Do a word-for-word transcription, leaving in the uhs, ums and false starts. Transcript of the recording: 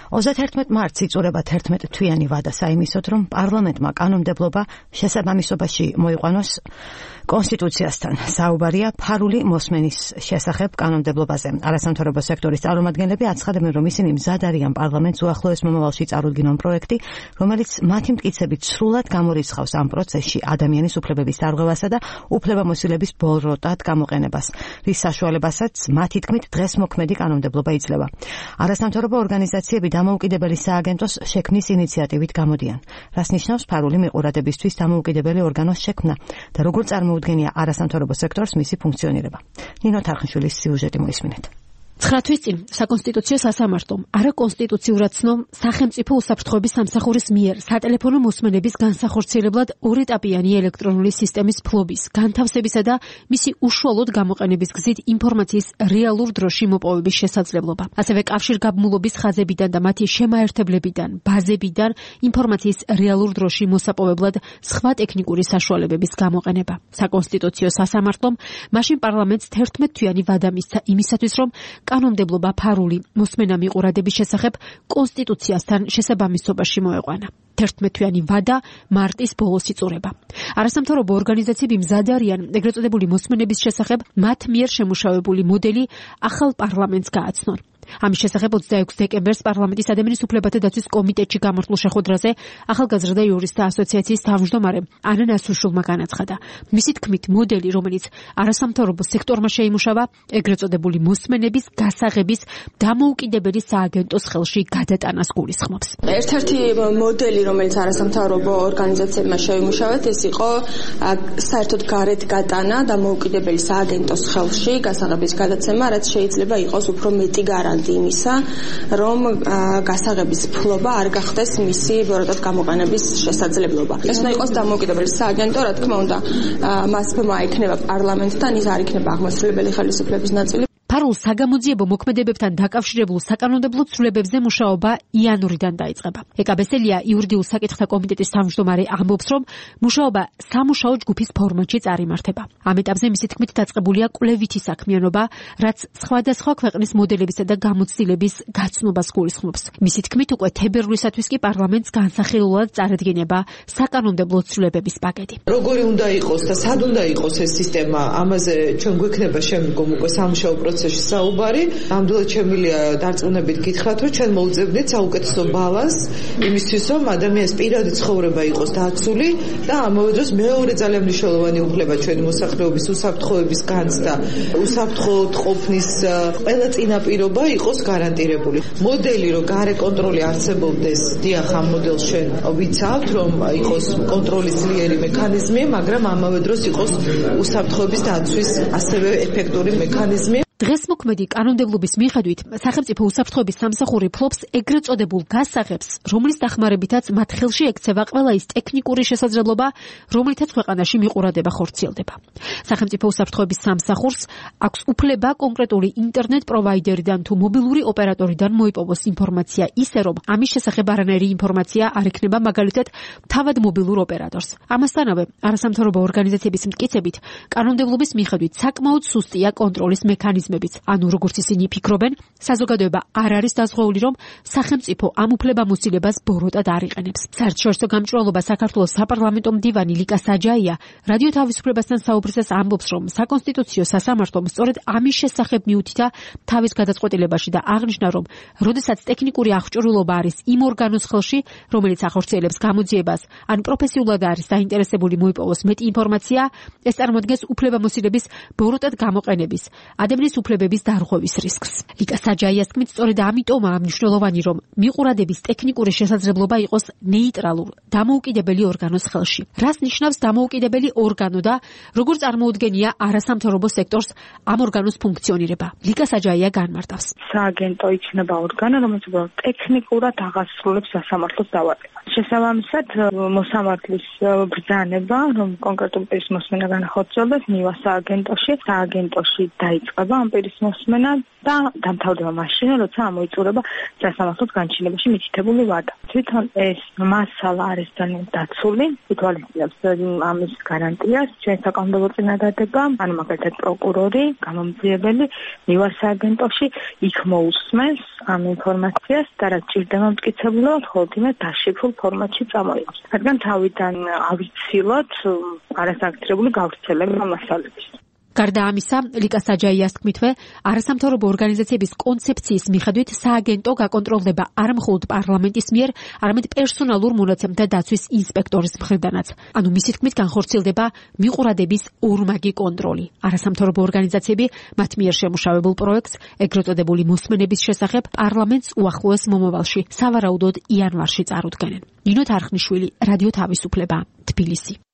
ოცდაერთმეტ მარტს იწურება თერთმეტ თვიანი ვადა საიმისოდ, რომ პარლამენტმა კანონმდებლობა შესაბამისობაში მოიყვანოს კონსტიტუციასთან. საუბარია ფარული მოსმენის შესახებ კანონმდებლობაზე. არასამთავრობო სექტორის წარმომადგენლები აცხადებენ, რომ ისინი მზად არიან პარლამენტს უახლოეს მომავალში წარუდგინონ პროექტი, რომელიც მათი მტკიცებით სრულად გამორიცხავს ამ პროცესში ადამიანის უფლებების დარღვევასა და უფლებამოსილების ბოროტად გამოყენებას, რის საშუალებასაც მათი თქმით დღეს მოქმედი კანონმდებლობა იძლევა. არასამთავრობო ორგანიზაციები დამოუკიდებელი სააგენტოს შექმნის ინიციატივით გამოდიან, რაც ნიშნავს ფარული მიყურადებისთვის დამოუკიდებელი ორგანოს შექმნა და როგორ წარმოუდგენია არასამთავრობო სექტორს მისი ფუნქციონირება. ნინო თარხნიშვილის სიუჟეტი მოისმინეთ. ცხრა თვის წინ საკონსტიტუციო სასამართლომ არაკონსტიტუციურად ცნო სახელმწიფო უსაფრთხოების სამსახურის მიერ სატელეფონო მოსმენების განსახორციელებლად ორეტაპიანი ელექტრონული სისტემის ფლობის, განთავსებისა და მისი უშუალოდ გამოყენების გზით ინფორმაციის რეალურ დროში მოპოვების შესაძლებლობა. ასევე კავშირგაბმულობის ხაზებიდან და მათი შემაერთებლებიდან, ბაზებიდან ინფორმაციის რეალურ დროში მოსაპოვებლად სხვა ტექნიკური საშუალებების გამოყენება. საკონსტიტუციო სასამართლომ მაშინ პარლამენტს თერთმეტ თვიანი ვადა მისცა იმისათვის, რომ კანონმდებლობა ფარული მოსმენა მიყურადების შესახებ კონსტიტუციასთან შესაბამისობაში მოეყვანა. თერთმეტ თვიანი ვადა მარტის ბოლოს იწურება. არასამთავრობო ორგანიზაციები მზად არიან ეგრეთ წოდებული მოსმენების შესახებ მათ მიერ შემუშავებული მოდელი ახალ პარლამენტს გააცნონ. ამის შესახებ ოცდაექვსი დეკემბერს პარლამენტის ადამიანის უფლებათა დაცვის კომიტეტში გამართულ შეხვედრაზე ახალგაზრდა იურისტთა ასოციაციის თავმჯდომარე ანა ნასრუშულმა განაცხადა. მისი თქმით, მოდელი, რომელიც არასამთავრობო სექტორმა შეიმუშავა, ეგრეთ წოდებული მოსმენების გასაღების დამოუკიდებელი სააგენტოს ხელში გადატანას გულისხმობს. ერთ-ერთი მოდელი, რომელიც არასამთავრობო ორგანიზაციებმა შეიმუშავათ, ეს იყო საერთოდ გარეთ გატანა დამოუკიდებელი სააგენტოს ხელში გასაღების გადაცემა, რაც შეიძლება იყოს უფრო მეტი გარანტია იმისა, რომ გასაღების ფლობა არ გახდეს მისი ბოროტად გამოყენების შესაძლებლობა. ეს უნდა იყოს დამოუკიდებელი სააგენტო, რა თქმა უნდა, მას ბმა ექნება პარლამენტთან, ის არ იქნება აღმასრულებელი ხელისუფლების ნაწილი. ფარულ საგამოძიებო მოქმედებებთან დაკავშირებულ საკანონმდებლო ცვლილებებზე მუშაობა იანვრიდან დაიწყება. ეკაბესელია იურიდიულ საკითხთა კომიტეტის თავმჯდომარე ამბობს, რომ მუშაობა სამუშაო ჯგუფის ფორმატში წარიმართება. ამ ეტაპზე მისი თქმით დაწყებულია კვლევითი საქმიანობა, რაც სხვადასხვა ქვეყნის მოდელებისა და გამოცდილების გაცნობას გულისხმობს. მისი თქმით უკვე თებერვლისათვის კი პარლამენტს განსახილულად წარადგინება საკანონმდებლო ცვლილებების პაკეტი. როგორი უნდა იყოს და სად უნდა იყოს ეს სისტემა, ამაზე ჩვენ გვექნება შემდგომ უკვე სამუშაო პროცესი საუბარი. ნამდვილად შემიძლია დარწმუნებით გითხრათ, რომ ჩვენ მოვუძებნით საუკეთესო ბალანსს იმისთვის, რომ ადამიანის პირადი ცხოვრება იყოს დაცული და ამავე დროს მეორე ძალიან მნიშვნელოვანი უფლება ჩვენი მოსახლეობის უსაფრთხოების განცდა, უსაფრთხოდ ყოფნის ყველა წინაპირობა იყოს გარანტირებული. მოდელი, რომ გარე კონტროლი არსებობდეს, დიახ, ამ მოდელს ჩვენ ვიცავთ, რომ იყოს კონტროლის ძლიერი მექანიზმი, მაგრამ ამავე დროს იყოს უსაფრთხოების დაცვის ასევე ეფექტური მექანიზმი. დღეს მოქმედი კანონმდებლობის მიხედვით სახელმწიფო უსაფრთხოების სამსახური ფლობს ეგრეთ წოდებულ გასაღებს, რომლის დახმარებითაც მათ ხელში ექცევა ყველა ის ტექნიკური შესაძლებლობა, რომლითაც ქვეყანაში მიყურადება ხორციელდება. სახელმწიფო უსაფრთხოების სამსახურს აქვს უფლება კონკრეტული ინტერნეტ პროვაიდერიდან თუ მობილური ოპერატორიდან მოიპოვოს ინფორმაცია ისე, რომ ამის შესახებ არანაირი ინფორმაცია არ ექნება მაგალითად თავად მობილურ ოპერატორს. ამასთანავე, არასამთავრობო ორგანიზაციების მტკიცებით, კანონმდებლობის მიხედვით საკმაოდ სუსტია კონტროლის მექანიზმი. ანუ როგორც ისინი ფიქრობენ, საზოგადოება არ არის დაზღვეული, რომ სახელმწიფო ამ უფლებამოსილებას ბოროტად არ იყენებს. საერთაშორისო გამჭვირვალობა საქართველოს საპარლამენტო მდივანი ლიკა საჯაია რადიო თავისუფლებასთან საუბრისას ამბობს, რომ საკონსტიტუციო სასამართლომ სწორედ ამის შესახებ მიუთითა თავის გადაწყვეტილებაში და აღნიშნა, რომ როდესაც ტექნიკური აღჭურვილობა არის იმ ორგანოს ხელში, რომელიც ახორციელებს გამოძიებას, ან პროფესიულად არის დაინტერესებული მოიპოვოს მეტი ინფორმაცია, ეს წარმოადგენს უფლებამოსილების ბოროტად გამოყენების, ადამიანის უფლებების დარღვევის რისკს. ლიკა საჯაიას თქმით, სწორედ ამიტომაა მნიშვნელოვანი, რომ მიყურადების ტექნიკური შესაძლებლობა იყოს ნეიტრალურ, დამოუკიდებელი ორგანოს ხელში. რას ნიშნავს დამოუკიდებელი ორგანო და როგორ წარმოუდგენია არასამთავრობო სექტორს ამ ორგანოს ფუნქციონირება? ლიკა საჯაია განმარტავს. სააგენტო იქნება ორგანო, რომელიც ტექნიკურად აღასრულებს სასამართლოს დავარებას. შესაბამისად, მოსამართლის ბრძანება, რომ კონკრეტულ პირის მოსმენა განახორციელდეს, მივა სააგენტოში, სააგენტოში დაიწყება ამ ამ პირის მოსმენა და დამთავრდება მაშინ, როცა ამოიწურება სასამართლოს განჩინებაში მითითებული ვადა. თვითონ ეს მასალა არის ძალიან დაცული, ითვალისწინებს ამის გარანტიას, ჩვენ საკანონმდებლო წინადადება, ანუ მაგალითად პროკურორი, გამომძიებელი მივარ სააგენტოში იქ მოусმენს ამ ინფორმაციას და რაც ჭირდება მტკიცებულად, ხოლმე იმას დაშიფრულ ფორმატში წამოიღებს. რადგან თავიდან ავიცილოთ არასაკუთრებული გავრცელება მასალების. გარდა ამისა, ლიკა საჯაიას თქმითვე, არასამთავრობო ორგანიზაციების კონცეფციის მიხედვით სააგენტო გაკონტროლდება არა მხოლოდ პარლამენტის მიერ, არამედ პერსონალურ მონაცემთა დაცვის ინსპექტორის მხრიდანაც. ანუ მისი თქმით განხორციელდება მიყურადების ორმაგი კონტროლი. არასამთავრობო ორგანიზაციები მათ მიერ შემუშავებულ პროექტს, ეგრეთ წოდებული მოსმენების შესახებ, პარლამენტს უახლოეს მომავალში, სავარაუდოდ იანვარში წარუდგენენ. ნინო თარხნიშვილი, რადიო თავისუფლება, თბილისი.